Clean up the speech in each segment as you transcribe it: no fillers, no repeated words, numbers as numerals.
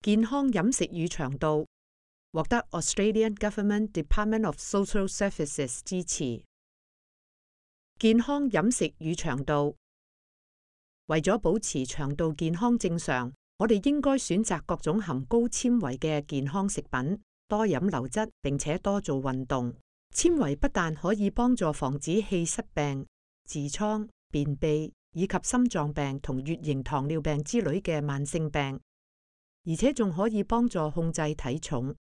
健康飲食與腸道獲得 Australian Government Department of Social Services 支持。健康飲食與腸道，為咗保持腸道健康正常，我哋應該選擇各種含高纖維嘅健康食品，多飲流質，並且多做運動。纖維不但可以幫助防止氣室病、痔瘡、便秘以及心臟病同乙型糖尿病之類嘅慢性病，而且仲可以幫助控制體重。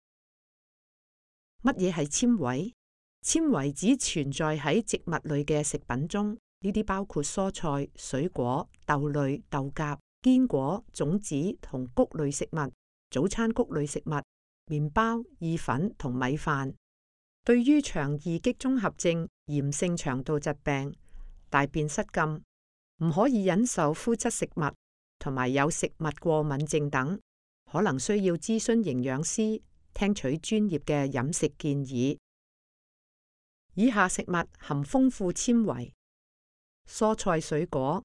乜嘢係纖維？纖維只存在喺植物類嘅食品中，呢啲包括蔬菜、水果、豆類、豆莢、堅果、種子同穀類食物、早餐穀類食物、麵包、意粉同米飯。對於腸易激綜合症、炎性腸道疾病、大便失禁、唔可以忍受麩質食物同埋有食物過敏症等，可能需要諮詢營養師，聽取專業嘅飲食建議。以下食物含豐富纖維：蔬菜水果，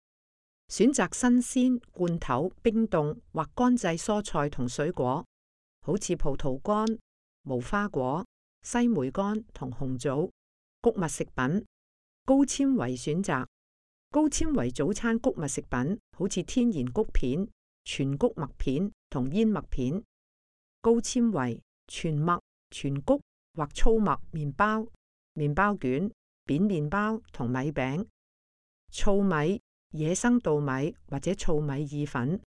選擇新鮮、罐頭、冰凍或乾製蔬菜同水果，好似葡萄乾、無花果、西梅乾同紅棗。穀物食品，高纖維選擇，高纖維早餐穀物食品，好似天然穀片、全穀麥片同燕麥片。高纖維全麥、全穀或粗麥麵包、麵包卷、扁麵包同米餅。糙米、野生稻米或者糙米意粉。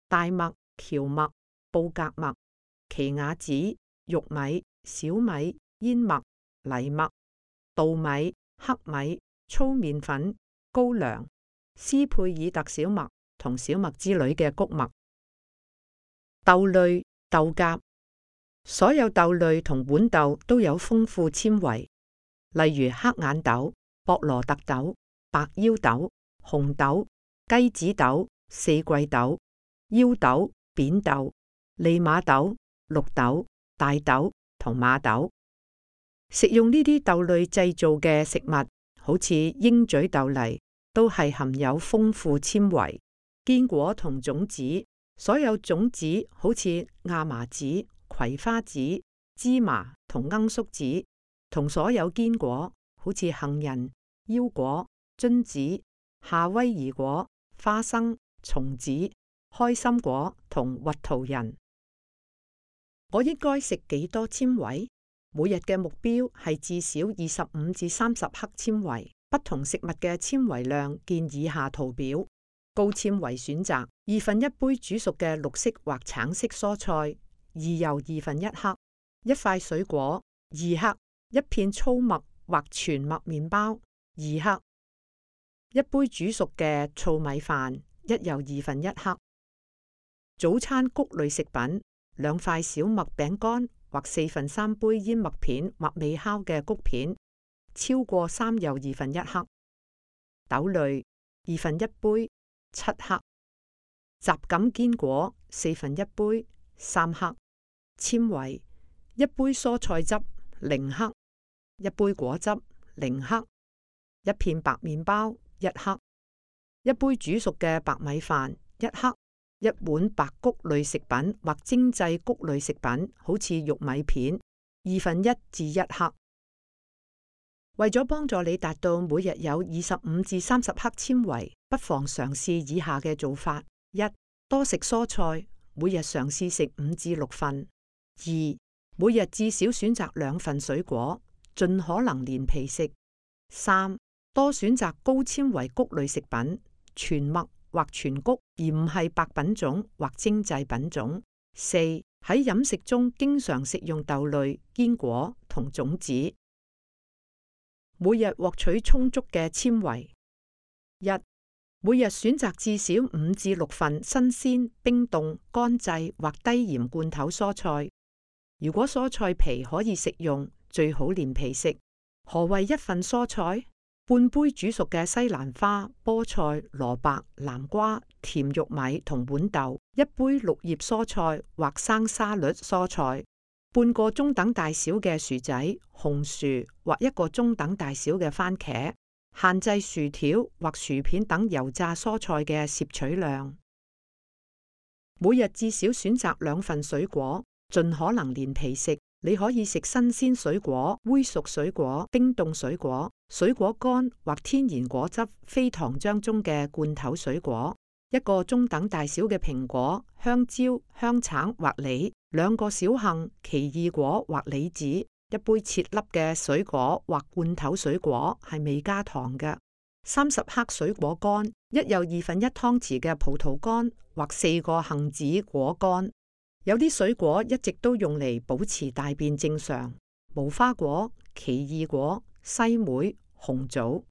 大麥、蕎麥、布格麥、奇亞籽、玉米、小米、燕麥、藜麥、稻米、黑米、粗麵粉、高粱、斯佩爾特小麥同小麥之類嘅穀物。豆類、豆莢，所有豆類同豌豆都有豐富纖維，例如黑眼豆、博羅特豆、白腰豆、紅豆、雞子豆、四季豆、腰豆、扁豆、利馬豆、綠豆、大豆同馬豆。食用呢啲豆類製造嘅食物，好似鷹嘴豆泥，都係含有豐富纖維。堅果同種子，所有種子好似亞麻籽、葵花籽、芝麻同罌粟籽，同所有堅果，好似杏仁、腰果、榛子、夏威夷果、花生、松子、開心果同核桃仁。我應該食幾多纖維？每日嘅目標係至少25至30克纖維。不同食物嘅纖維量見以下圖表。高纖維選擇1/2杯煮熟嘅綠色或橙色蔬菜，2又1/2克；一塊水果2克；一片粗麥或全麥麵包2克；一杯煮熟嘅糙米飯1又1/2克；早餐穀類食品2塊小麥餅乾或3/4杯燕麥片或未烤嘅穀片，超過3又1/2克；豆類1/2杯7克；雜錦堅果1/4杯3克；纖維1杯蔬菜汁0克；一杯果汁0克；一片白麵包1克；一杯煮熟嘅白米飯1克；一碗白穀類食品或精製穀類食品，好似玉米片1/2至1克。為咗幫助你達到每日有25至30克纖維，不妨嘗試以下嘅做法： 1. 多食蔬菜，每日嘗試食5至6份； 2. 每日至少選擇2份水果，盡可能連皮食； 3. 多選擇高纖維穀類食品，全麥或全穀，而唔係白品種或精製品種； 4. 喺飲食中經常食用豆類、堅果同種子。每日獲取充足嘅纖維。1. 每日選擇至少5至6份新鮮、冰凍、乾製或低鹽罐頭蔬菜。如果蔬菜皮可以食用，最好連皮食。何謂1份蔬菜？半杯煮熟嘅西蘭花、菠菜、蘿蔔、南瓜、甜玉米同豌豆，一杯綠葉蔬菜或生沙律蔬菜，半個中等大小嘅薯仔、紅薯或一個中等大小嘅番茄。限制薯條或薯片等油炸蔬菜嘅攝取量。每日至少選擇2份水果，盡可能連皮食。你可以食新鮮水果、煨熟水果、冰凍水果、水果乾或天然果汁非糖漿中嘅罐頭水果，一個中等大小嘅蘋果、香蕉、香橙或梨，2個小杏、奇異果或李子，一杯切粒嘅水果或罐頭水果係未加糖嘅。30克水果乾，一有1/2湯匙嘅葡萄乾或4個杏子果乾。有啲水果一直都用嚟保持大便正常，無花果、奇異果、西梅、紅棗。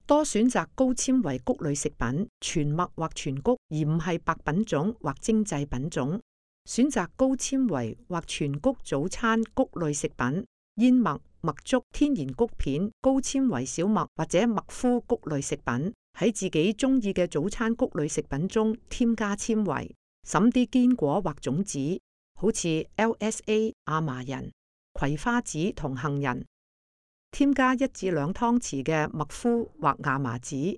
多選擇高纖維穀類食品，全麥或全穀，而唔係白品種或精製品種。選擇高纖維或全穀早餐穀類食品，燕麥、麥粥、天然穀片、高纖維小麥或者麥麩穀類食品，喺自己中意嘅早餐穀類食品中添加纖維。審啲堅果或種子，好似 LSA 亞麻仁、葵花籽同杏仁，添加1至2湯匙嘅麥麩或亞麻籽，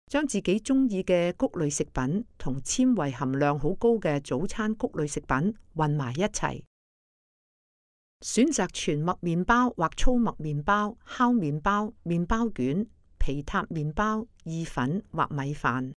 將自己中意嘅穀類食品同纖維含量好高嘅早餐穀類食品混埋一齊。選擇全麥麵包或粗麥麵包、烤麵包、麵包卷、皮塔麵包、意粉或米飯。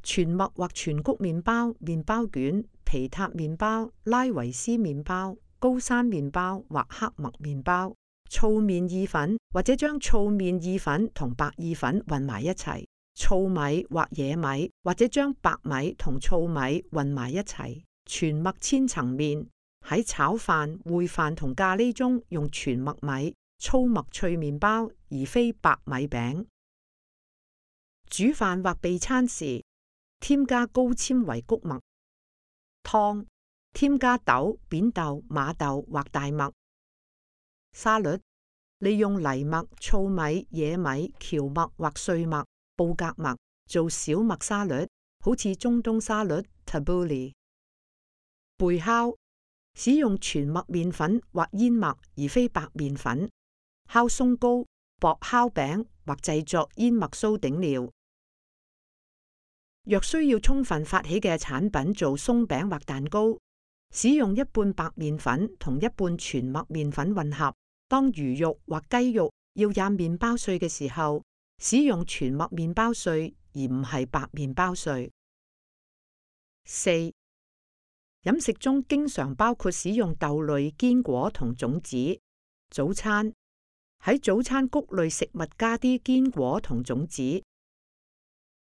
全麥或全穀麵包、麵包卷、皮塔麵包、拉維斯麵包、高山麵包或黑麥麵包、糙麵意粉，或者將糙麵意粉同白意粉混埋一齊，糙米或野米，或者將白米同糙米混埋一齊，全麥千層麵，喺炒飯、燴飯同咖喱中用全麥米、粗麥脆麵包，而非白米餅。煮飯或備餐時，添加高纖維穀物。湯，添加豆、扁豆、馬豆或大麥。沙律，利用藜麥、糙米、野米、蕎麥或碎麥、布格麥做小麥沙律，好似中東沙律 Tabbouleh。焙烤，使用全麥麵粉或燕麥而非白麵粉，烤鬆糕、薄烤餅或製作燕麥酥頂料。若需要充分發起嘅產品做鬆餅或蛋糕，使用一半白麵粉同一半全麥麵粉混合。當魚肉或雞肉要染麵包碎嘅時候，使用全麥麵包碎而唔係白麵包碎。4. 飲食中經常包括使用豆類、堅果同種子。早餐，喺早餐穀類食物加啲堅果同種子。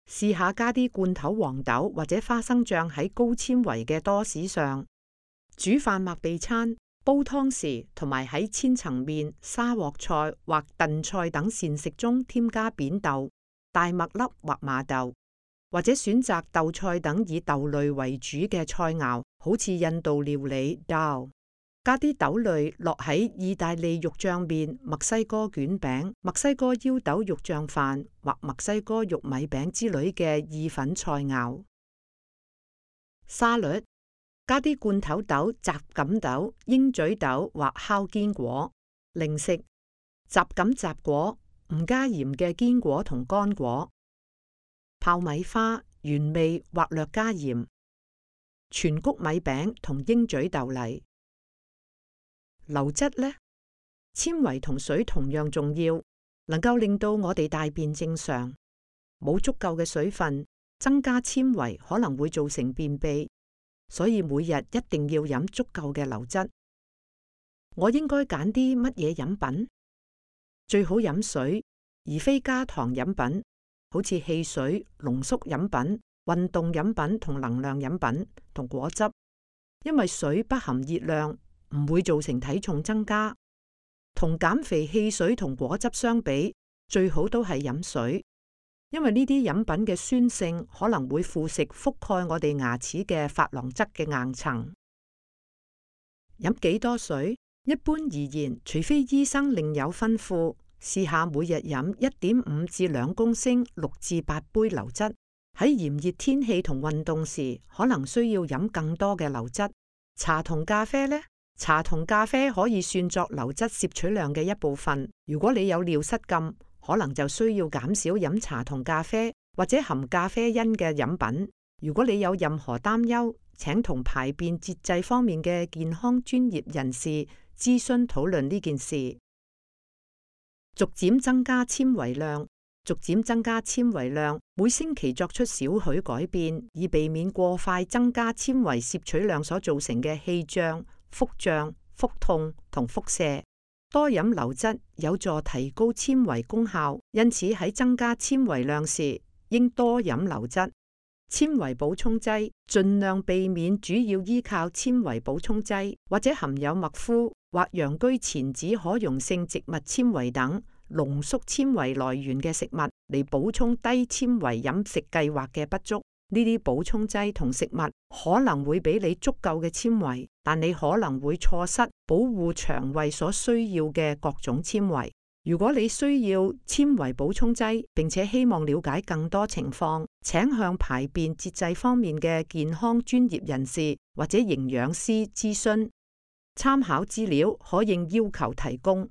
試下加啲罐頭黃豆或者花生醬喺高纖維嘅多士上。煮飯或備餐、煲湯時，同埋喺千層麵、沙鍋菜或燉菜等膳食中添加扁豆、大麥粒或麻豆，或者選擇豆菜等以豆類為主嘅菜肴，好似印度料理 dal。加啲豆類落喺意大利肉醬麵、墨西哥卷餅、墨西哥腰豆肉醬飯或墨西哥玉米餅之類嘅意粉菜肴。沙律，加啲罐頭豆、雜錦豆、鷹嘴豆或烤堅果。零食，雜錦雜果，唔加鹽嘅堅果同乾果。泡米花，原味或略加鹽。全穀米餅同鷹嘴豆泥。流質呢，纖維同水同樣重要，能夠令到我哋大便正常。冇足夠嘅水分，增加纖維可能會造成便秘，所以每日一定要飲足夠嘅流質。我應該揀啲乜嘢飲品？最好飲水，而非加糖飲品，好似汽水、濃縮飲品、運動飲品同能量飲品同果汁，因為水不含熱量，唔會造成體重增加。同減肥汽水同果汁相比，最好都係飲水，因為呢啲飲品嘅酸性可能會腐蝕覆蓋我哋牙齒嘅珐琅質嘅硬層。飲幾多水？一般而言，除非醫生另有吩咐，試下每日飲 1.5 至2公升6至8杯流質。喺炎熱天氣同運動時，可能需要飲更多嘅流質。茶同咖啡呢？茶同咖啡可以算作流質攝取量嘅一部分。如果你有尿失禁，可能就需要減少飲茶同咖啡或者含咖啡因嘅飲品，如果你有任何擔憂，請同排便節制方面嘅健康專業人士諮詢討論呢件事。逐漸增加纖維量。逐漸增加纖維量，每星期作出少許改變，以避免過快增加纖維攝取量所造成嘅氣脹、腹脹、腹痛同腹瀉。多飲流質有助提高纖維功效，因此喺增加纖維量時，應多飲流質。纖維補充劑盡量避免主要依靠纖維補充劑或者含有麥麩或陽居前子可溶性植物纖維等濃縮纖維來源嘅食物嚟補充低纖維飲食計劃嘅不足。呢啲補充劑同食物可能會俾你足夠嘅纖維，但你可能會錯失保護腸胃所需要嘅各種纖維。如果你需要纖維補充劑，並且希望了解更多情況，請向排便節制方面嘅健康專業人士或者營養師諮詢。參考資料可應要求提供。